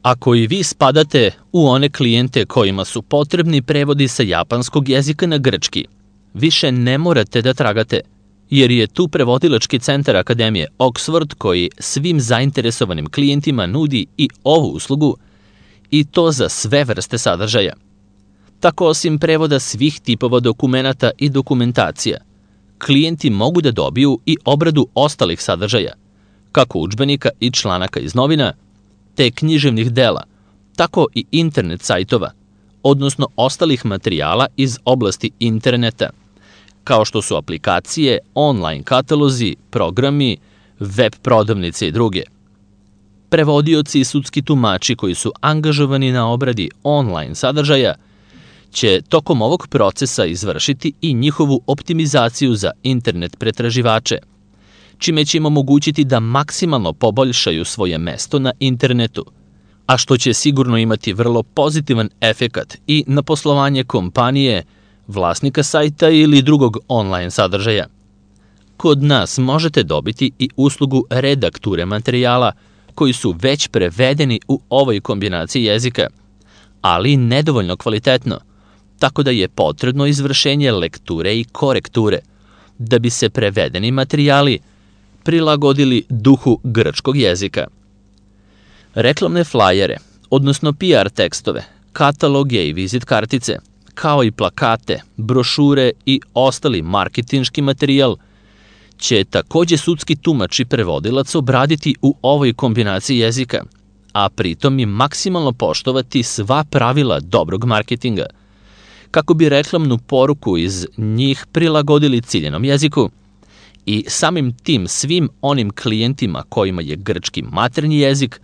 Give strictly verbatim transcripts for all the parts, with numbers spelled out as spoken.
Ako i vi spadate u one klijente kojima su potrebni prevodi sa japanskog jezika na grčki, više ne morate da tragate, jer je tu prevodilački centar Akademije Oxford koji svim zainteresovanim klijentima nudi i ovu uslugu, i to za sve vrste sadržaja. Tako, osim prevoda svih tipova dokumenata i dokumentacija, klijenti mogu da dobiju i obradu ostalih sadržaja, kako udžbenika i članaka iz novina, te književnih dela, tako i internet sajtova, odnosno ostalih materijala iz oblasti interneta, kao što su aplikacije, online katalozi, programi, web prodavnice i druge. Prevodioci i sudski tumači koji su angažovani na obradi online sadržaja će tokom ovog procesa izvršiti i njihovu optimizaciju za internet pretraživače, čime će im omogućiti da maksimalno poboljšaju svoje mesto na internetu, a što će sigurno imati vrlo pozitivan efekat i na poslovanje kompanije, vlasnika sajta ili drugog online sadržaja. Kod nas možete dobiti i uslugu redakture materijala koji su već prevedeni u ovoj kombinaciji jezika, ali nedovoljno kvalitetno, tako da je potrebno izvršenje lekture i korekture, da bi se prevedeni materijali prilagodili duhu grčkog jezika. Reklamne flajere, odnosno P R tekstove, kataloge i vizit kartice, kao i plakate, brošure i ostali marketinški materijal, će takođe sudski tumač i prevodilac obraditi u ovoj kombinaciji jezika, a pritom i maksimalno poštovati sva pravila dobrog marketinga, kako bi reklamnu poruku iz njih prilagodili ciljenom jeziku i samim tim svim onim klijentima kojima je grčki maternji jezik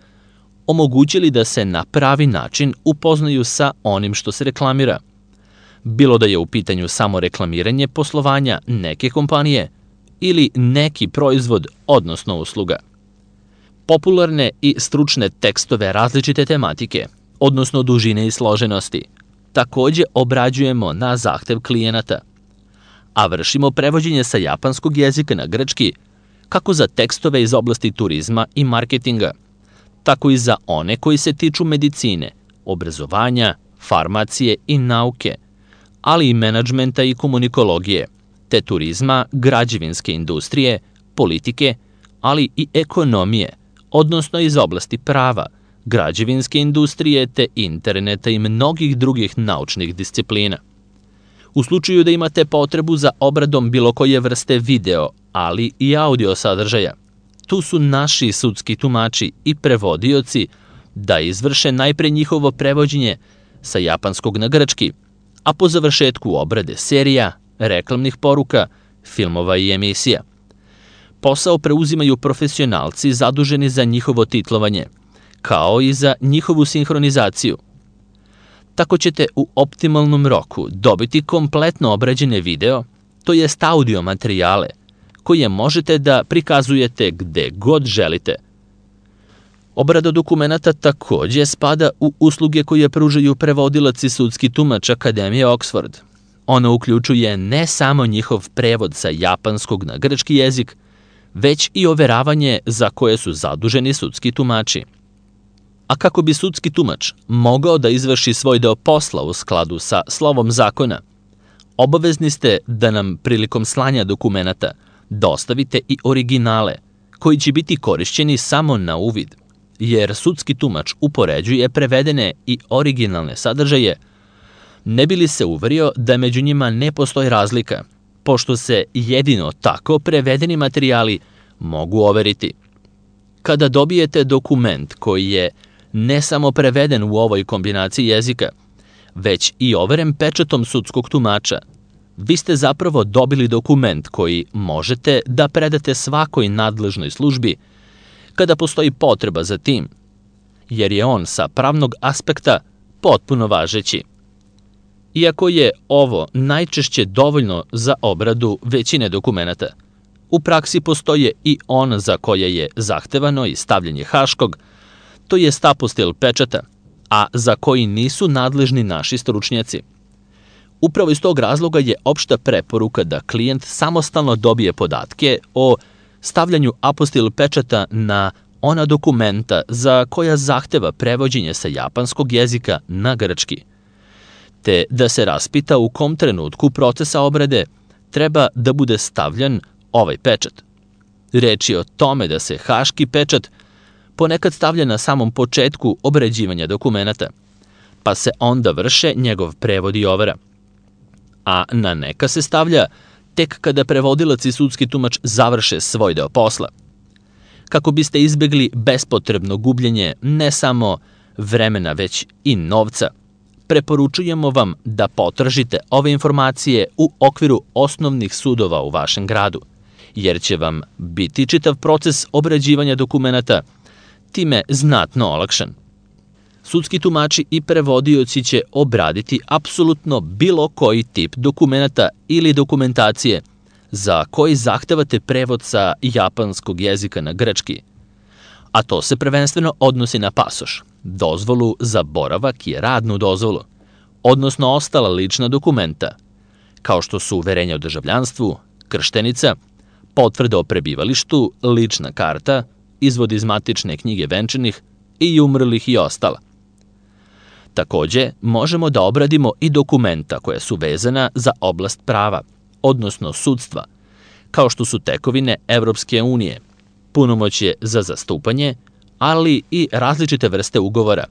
omogućili da se na pravi način upoznaju sa onim što se reklamira, bilo da je u pitanju samo reklamiranje poslovanja neke kompanije ili neki proizvod, odnosno usluga. Popularne i stručne tekstove različite tematike, odnosno dužine i složenosti, takođe obrađujemo na zahtev klijenata, a vršimo prevođenje sa japanskog jezika na grčki kako za tekstove iz oblasti turizma i marketinga, tako i za one koji se tiču medicine, obrazovanja, farmacije i nauke, ali i menadžmenta i komunikologije, te turizma, građevinske industrije, politike, ali i ekonomije, odnosno iz oblasti prava, građevinske industrije te interneta i mnogih drugih naučnih disciplina. U slučaju da imate potrebu za obradom bilo koje vrste video, ali i audio sadržaja, tu su naši sudski tumači i prevodioci da izvrše najpre njihovo prevođenje sa japanskog na grčki, a po završetku obrade serija, reklamnih poruka, filmova i emisija. Posao preuzimaju profesionalci zaduženi za njihovo titlovanje, kao i za njihovu sinhronizaciju. Tako ćete u optimalnom roku dobiti kompletno obrađene video, to jest audio materijale, koje možete da prikazujete gde god želite. Obrada dokumenata takođe spada u usluge koje pružaju prevodilac i sudski tumač Akademije Oxford. Ona uključuje ne samo njihov prevod sa japanskog na grčki jezik, već i overavanje za koje su zaduženi sudski tumači. A kako bi sudski tumač mogao da izvrši svoj deo posla u skladu sa slovom zakona, obavezni ste da nam prilikom slanja dokumenata dostavite i originale, koji će biti korišćeni samo na uvid, jer sudski tumač upoređuje prevedene i originalne sadržaje, ne bi li se uverio da među njima ne postoji razlika, pošto se jedino tako prevedeni materijali mogu overiti. Kada dobijete dokument koji je ne samo preveden u ovoj kombinaciji jezika, već i overen pečatom sudskog tumača, vi ste zapravo dobili dokument koji možete da predate svakoj nadležnoj službi kada postoji potreba za tim, jer je on sa pravnog aspekta potpuno važeći. Iako je ovo najčešće dovoljno za obradu većine dokumenata, u praksi postoje i on za koje je zahtevano i stavljanje haškog, to je apostil pečata, a za koji nisu nadležni naši stručnjaci. Upravo iz tog razloga je opšta preporuka da klijent samostalno dobije podatke o stavljanju apostil pečata na ona dokumenta za koja zahteva prevođenje sa japanskog jezika na grčki, te da se raspita u kom trenutku procesa obrade treba da bude stavljan ovaj pečat. Reč je o tome da se haški pečat ponekad stavlja na samom početku obrađivanja dokumenata, pa se onda vrše njegov prevod i overa, a na neka se stavlja tek kada prevodilac i sudski tumač završe svoj deo posla. Kako biste izbegli bespotrebno gubljenje ne samo vremena, već i novca, preporučujemo vam da potražite ove informacije u okviru osnovnih sudova u vašem gradu, jer će vam biti čitav proces obrađivanja dokumenata time znatno olakšan. Sudski tumači i prevodioci će obraditi apsolutno bilo koji tip dokumenata ili dokumentacije za koji zahtevate prevod sa japanskog jezika na grčki, a to se prvenstveno odnosi na pasoš, dozvolu za boravak i radnu dozvolu, odnosno ostala lična dokumenta, kao što su uverenja o državljanstvu, krštenica, potvrda o prebivalištu, lična karta, izvod iz matične knjige venčanih i umrlih i ostala. Takođe, možemo da obradimo i dokumenta koja su vezana za oblast prava, odnosno sudstva, kao što su tekovine Evropske unije, punomoćje za zastupanje, ali i različite vrste ugovora,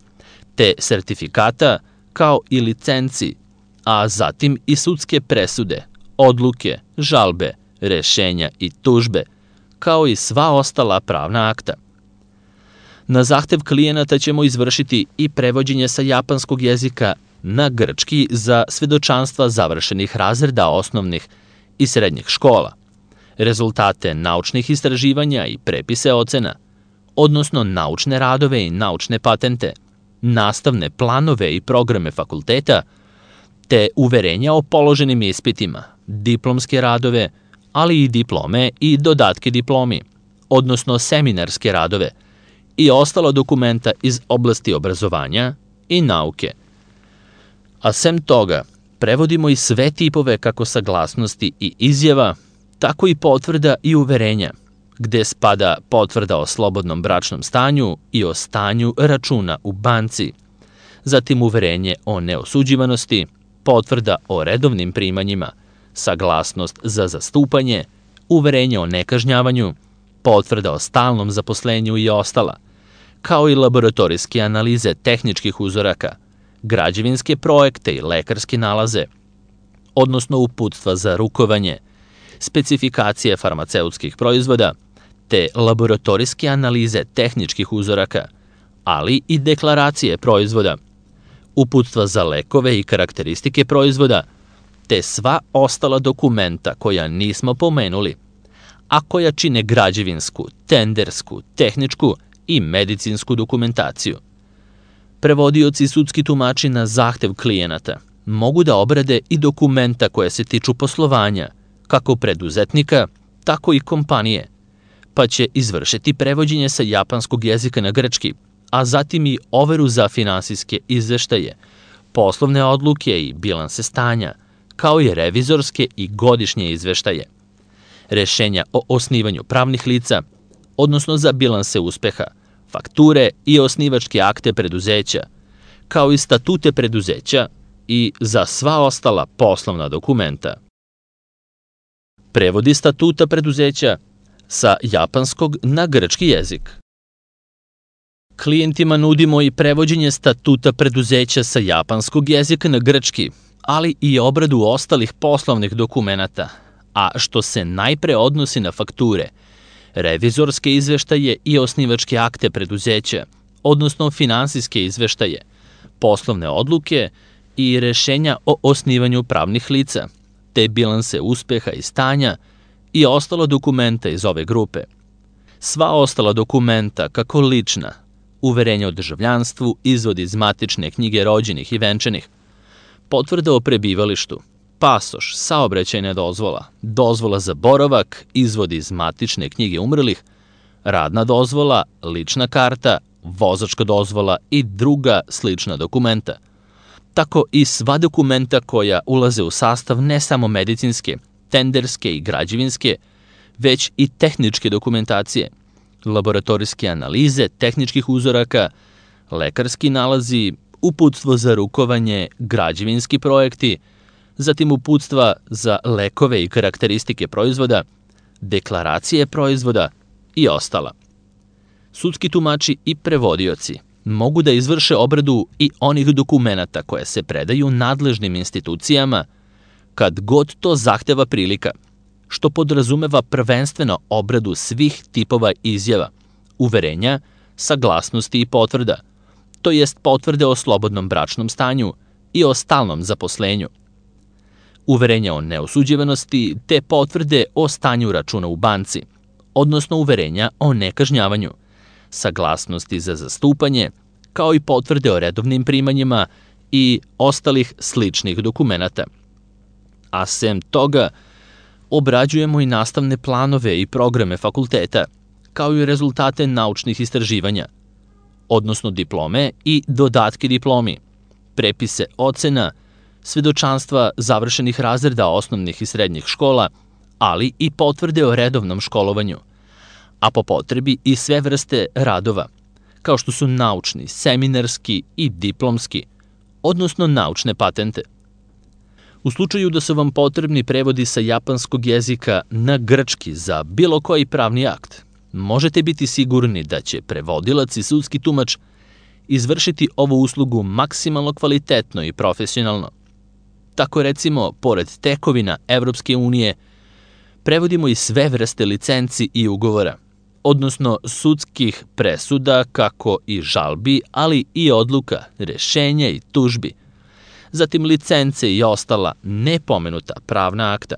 te sertifikata kao i licenci, a zatim i sudske presude, odluke, žalbe, rešenja i tužbe, kao i sva ostala pravna akta. Na zahtev klijenata ćemo izvršiti i prevođenje sa japanskog jezika na grčki za svedočanstva završenih razreda osnovnih i srednjih škola, rezultate naučnih istraživanja i prepise ocena, odnosno naučne radove i naučne patente, nastavne planove i programe fakulteta, te uverenja o položenim ispitima, diplomske radove, ali i diplome i dodatke diplomi, odnosno seminarske radove i ostala dokumenta iz oblasti obrazovanja i nauke. A sem toga, prevodimo i sve tipove kako saglasnosti i izjava, tako i potvrda i uverenja, gde spada potvrda o slobodnom bračnom stanju i o stanju računa u banci, zatim uverenje o neosuđivanosti, potvrda o redovnim primanjima, saglasnost za zastupanje, uverenje o nekažnjavanju, potvrda o stalnom zaposlenju i ostala, kao i laboratorijske analize tehničkih uzoraka, građevinske projekte i lekarske nalaze, odnosno uputstva za rukovanje, specifikacije farmaceutskih proizvoda, te laboratorijske analize tehničkih uzoraka, ali i deklaracije proizvoda, uputstva za lekove i karakteristike proizvoda, te sva ostala dokumenta koja nismo pomenuli, a koja čine građevinsku, tendersku, tehničku i medicinsku dokumentaciju. Prevodioci i sudski tumači na zahtev klijenata mogu da obrade i dokumenta koja se tiču poslovanja, kako preduzetnika, tako i kompanije, pa će izvršiti prevođenje sa japanskog jezika na grčki, a zatim i overu za finansijske izveštaje, poslovne odluke i bilanse stanja, kao i revizorske i godišnje izveštaje, rešenja o osnivanju pravnih lica, odnosno za bilanse uspeha, fakture i osnivačke akte preduzeća, kao i statute preduzeća i za sva ostala poslovna dokumenta. Prevodi statuta preduzeća sa japanskog na grčki jezik. Klijentima nudimo i prevođenje statuta preduzeća sa japanskog jezika na grčki, ali i obradu ostalih poslovnih dokumenata, a što se najpre odnosi na fakture, revizorske izveštaje i osnivačke akte preduzeća, odnosno finansijske izveštaje, poslovne odluke i rešenja o osnivanju pravnih lica, te bilanse uspeha i stanja i ostala dokumenta iz ove grupe. Sva ostala dokumenta, kako lična, uverenja o državljanstvu, izvod iz matične knjige rođenih i venčanih, potvrda o prebivalištu, pasoš, saobraćajna dozvola, dozvola za boravak, izvod iz matične knjige umrlih, radna dozvola, lična karta, vozačka dozvola i druga slična dokumenta. Tako i sva dokumenta koja ulaze u sastav ne samo medicinske, tenderske i građevinske, već i tehničke dokumentacije, laboratorijske analize tehničkih uzoraka, lekarski nalazi, uputstvo za rukovanje, građevinski projekti, zatim uputstva za lekove i karakteristike proizvoda, deklaracije proizvoda i ostala. Sudski tumači i prevodioci mogu da izvrše obradu i onih dokumenata koje se predaju nadležnim institucijama kad god to zahteva prilika, što podrazumeva prvenstveno obradu svih tipova izjava, uverenja, saglasnosti i potvrda, to jest potvrde o slobodnom bračnom stanju i o stalnom zaposlenju, uverenja o neosuđivanosti te potvrde o stanju računa u banci, odnosno uverenja o nekažnjavanju, saglasnosti za zastupanje, kao i potvrde o redovnim primanjima i ostalih sličnih dokumenata. A sem toga, obrađujemo i nastavne planove i programe fakulteta, kao i rezultate naučnih istraživanja, odnosno diplome i dodatke diplomi, prepise ocena, svedočanstva završenih razreda osnovnih i srednjih škola, ali i potvrde o redovnom školovanju, a po potrebi i sve vrste radova, kao što su naučni, seminarski i diplomski, odnosno naučne patente. U slučaju da su vam potrebni prevodi sa japanskog jezika na grčki za bilo koji pravni akt, možete biti sigurni da će prevodilac i sudski tumač izvršiti ovu uslugu maksimalno kvalitetno i profesionalno. Tako recimo, pored tekovina Evropske unije, prevodimo i sve vrste licenci i ugovora, odnosno sudskih presuda, kako i žalbi, ali i odluka, rešenja i tužbi, zatim licence i ostala nepomenuta pravna akta.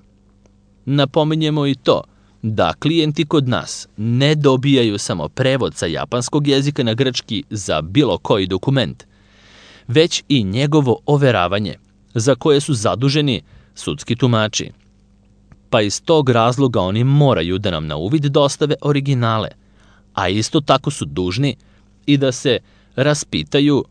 Napominjemo i to da klijenti kod nas ne dobijaju samo prevod sa japanskog jezika na grčki za bilo koji dokument, već i njegovo overavanje, za koje su zaduženi sudski tumači. Pa iz tog razloga oni moraju da nam na uvid dostave originale, a isto tako su dužni i da se raspitaju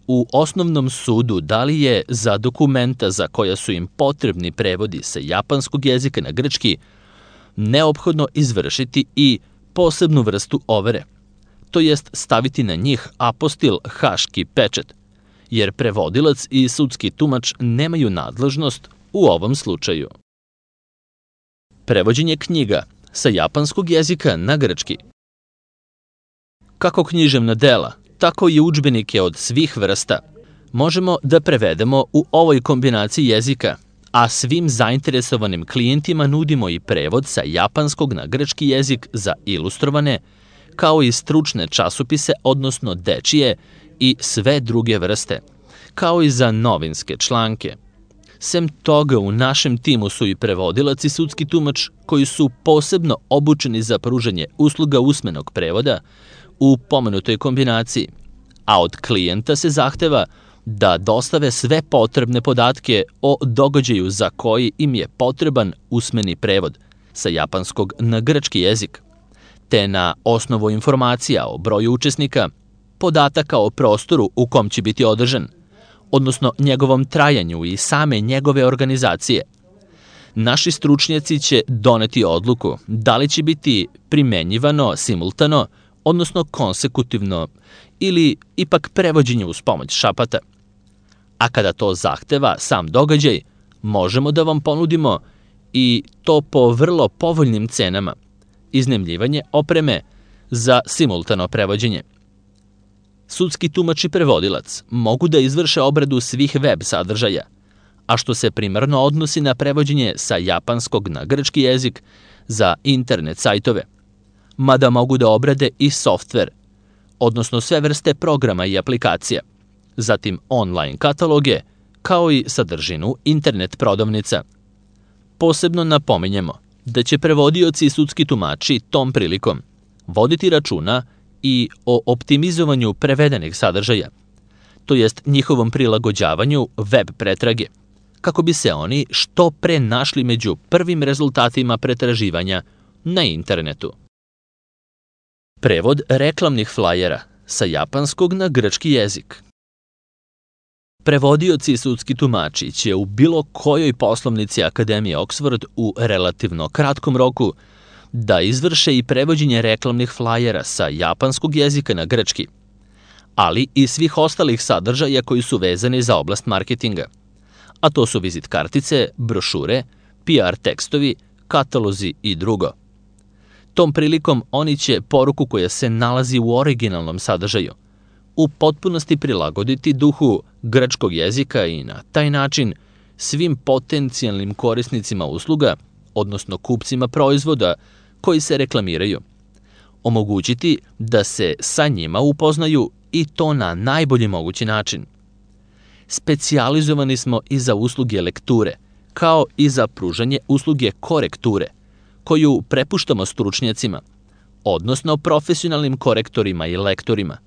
u osnovnom sudu da li je za dokumenta za koja su im potrebni prevodi sa japanskog jezika na grčki neophodno izvršiti i posebnu vrstu overe, to jest staviti na njih apostil haški pečat, jer prevodilac i sudski tumač nemaju nadležnost u ovom slučaju. Prevođenje knjiga sa japanskog jezika na grčki. Kako književna dela, tako i udžbenike od svih vrsta možemo da prevedemo u ovoj kombinaciji jezika, a svim zainteresovanim klijentima nudimo i prevod sa japanskog na grčki jezik za ilustrovane, kao i stručne časopise, odnosno dečije i sve druge vrste, kao i za novinske članke. Sem toga, u našem timu su i prevodilac i sudski tumač koji su posebno obučeni za pružanje usluga usmenog prevoda u pomenutoj kombinaciji, a od klijenta se zahteva da dostave sve potrebne podatke o događaju za koji im je potreban usmeni prevod sa japanskog na grčki jezik, te na osnovu informacija o broju učesnika, podataka o prostoru u kom će biti održan, odnosno njegovom trajanju i same njegove organizacije. Naši stručnjaci će doneti odluku da li će biti primenjivano simultano, odnosno konsekutivno, ili ipak prevođenje uz pomoć šapata. A kada to zahteva sam događaj, možemo da vam ponudimo i to po vrlo povoljnim cenama, iznajmljivanje opreme za simultano prevođenje. Sudski tumač i prevodilac mogu da izvrše obradu svih web sadržaja, a što se primarno odnosi na prevođenje sa japanskog na grčki jezik za internet sajtove, mada mogu da obrade i softver, odnosno sve vrste programa i aplikacija, zatim online kataloge, kao i sadržinu internet prodavnica. Posebno napominjemo da će prevodioci i sudski tumači tom prilikom voditi računa i o optimizovanju prevedenih sadržaja, to jest njihovom prilagođavanju web pretrage, kako bi se oni što pre našli među prvim rezultatima pretraživanja na internetu. Prevod reklamnih flajera sa japanskog na grčki jezik. Prevodioci i sudski tumači će u bilo kojoj poslovnici Akademije Oxford u relativno kratkom roku da izvrše i prevođenje reklamnih flajera sa japanskog jezika na grčki, ali i svih ostalih sadržaja koji su vezani za oblast marketinga, a to su vizit kartice, brošure, P R tekstovi, katalozi i drugo. Tom prilikom oni će poruku koja se nalazi u originalnom sadržaju u potpunosti prilagoditi duhu grčkog jezika i na taj način svim potencijalnim korisnicima usluga, odnosno kupcima proizvoda koji se reklamiraju, omogućiti da se sa njima upoznaju i to na najbolji mogući način. Specijalizovani smo i za usluge lekture, kao i za pružanje usluge korekture, koju prepuštamo stručnjacima, odnosno profesionalnim korektorima i lektorima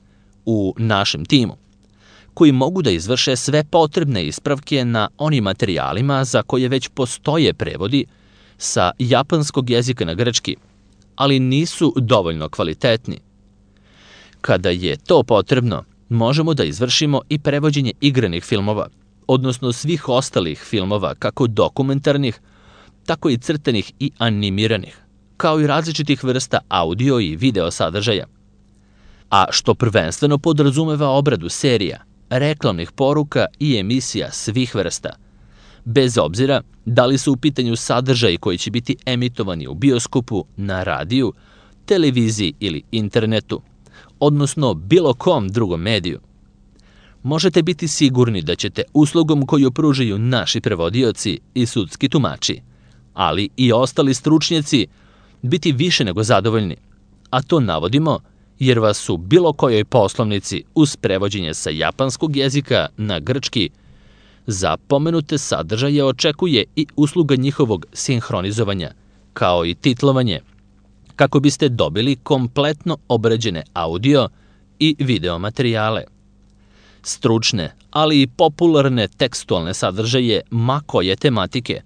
u našem timu, koji mogu da izvrše sve potrebne ispravke na onim materijalima za koje već postoje prevodi sa japanskog jezika na grčki, ali nisu dovoljno kvalitetni. Kada je to potrebno, možemo da izvršimo i prevođenje igranih filmova, odnosno svih ostalih filmova, kako dokumentarnih, tako i crtanih i animiranih, kao i različitih vrsta audio i video sadržaja, a što prvenstveno podrazumeva obradu serija, reklamnih poruka i emisija svih vrsta, bez obzira da li su u pitanju sadržaji koji će biti emitovani u bioskopu, na radiju, televiziji ili internetu, odnosno bilo kom drugom mediju. Možete biti sigurni da ćete uslugom koju pružaju naši prevodioci i sudski tumači, ali i ostali stručnjaci, biti više nego zadovoljni, a to navodimo jer vas u bilo kojoj poslovnici uz prevođenje sa japanskog jezika na grčki za pomenute sadržaje očekuje i usluga njihovog sinhronizovanja, kao i titlovanje, kako biste dobili kompletno obrađene audio i video materijale. Stručne, ali i popularne tekstualne sadržaje ma koje tematike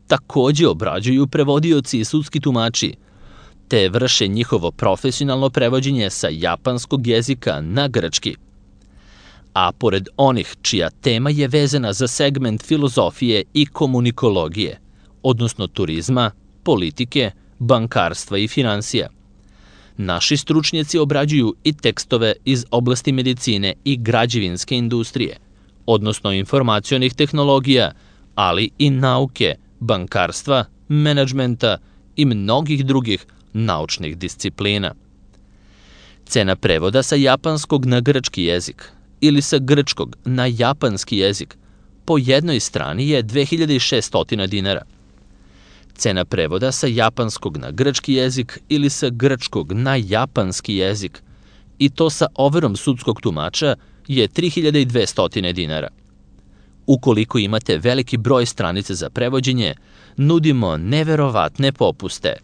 takođe obrađuju prevodioci i sudski tumači, te vrše njihovo profesionalno prevođenje sa japanskog jezika na grčki. A pored onih čija tema je vezana za segment filozofije i komunikologije, odnosno turizma, politike, bankarstva i finansija, naši stručnjaci obrađuju i tekstove iz oblasti medicine i građevinske industrije, odnosno informacionih tehnologija, ali i nauke, bankarstva, menadžmenta i mnogih drugih naučnih disciplina. Cena prevoda sa japanskog na grčki jezik ili sa grčkog na japanski jezik po jednoj strani je dve hiljade šesto dinara. Cena prevoda sa japanskog na grčki jezik ili sa grčkog na japanski jezik, i to sa overom sudskog tumača, je tri hiljade dvesta dinara. Ukoliko imate veliki broj stranica za prevođenje, nudimo neverovatne popuste.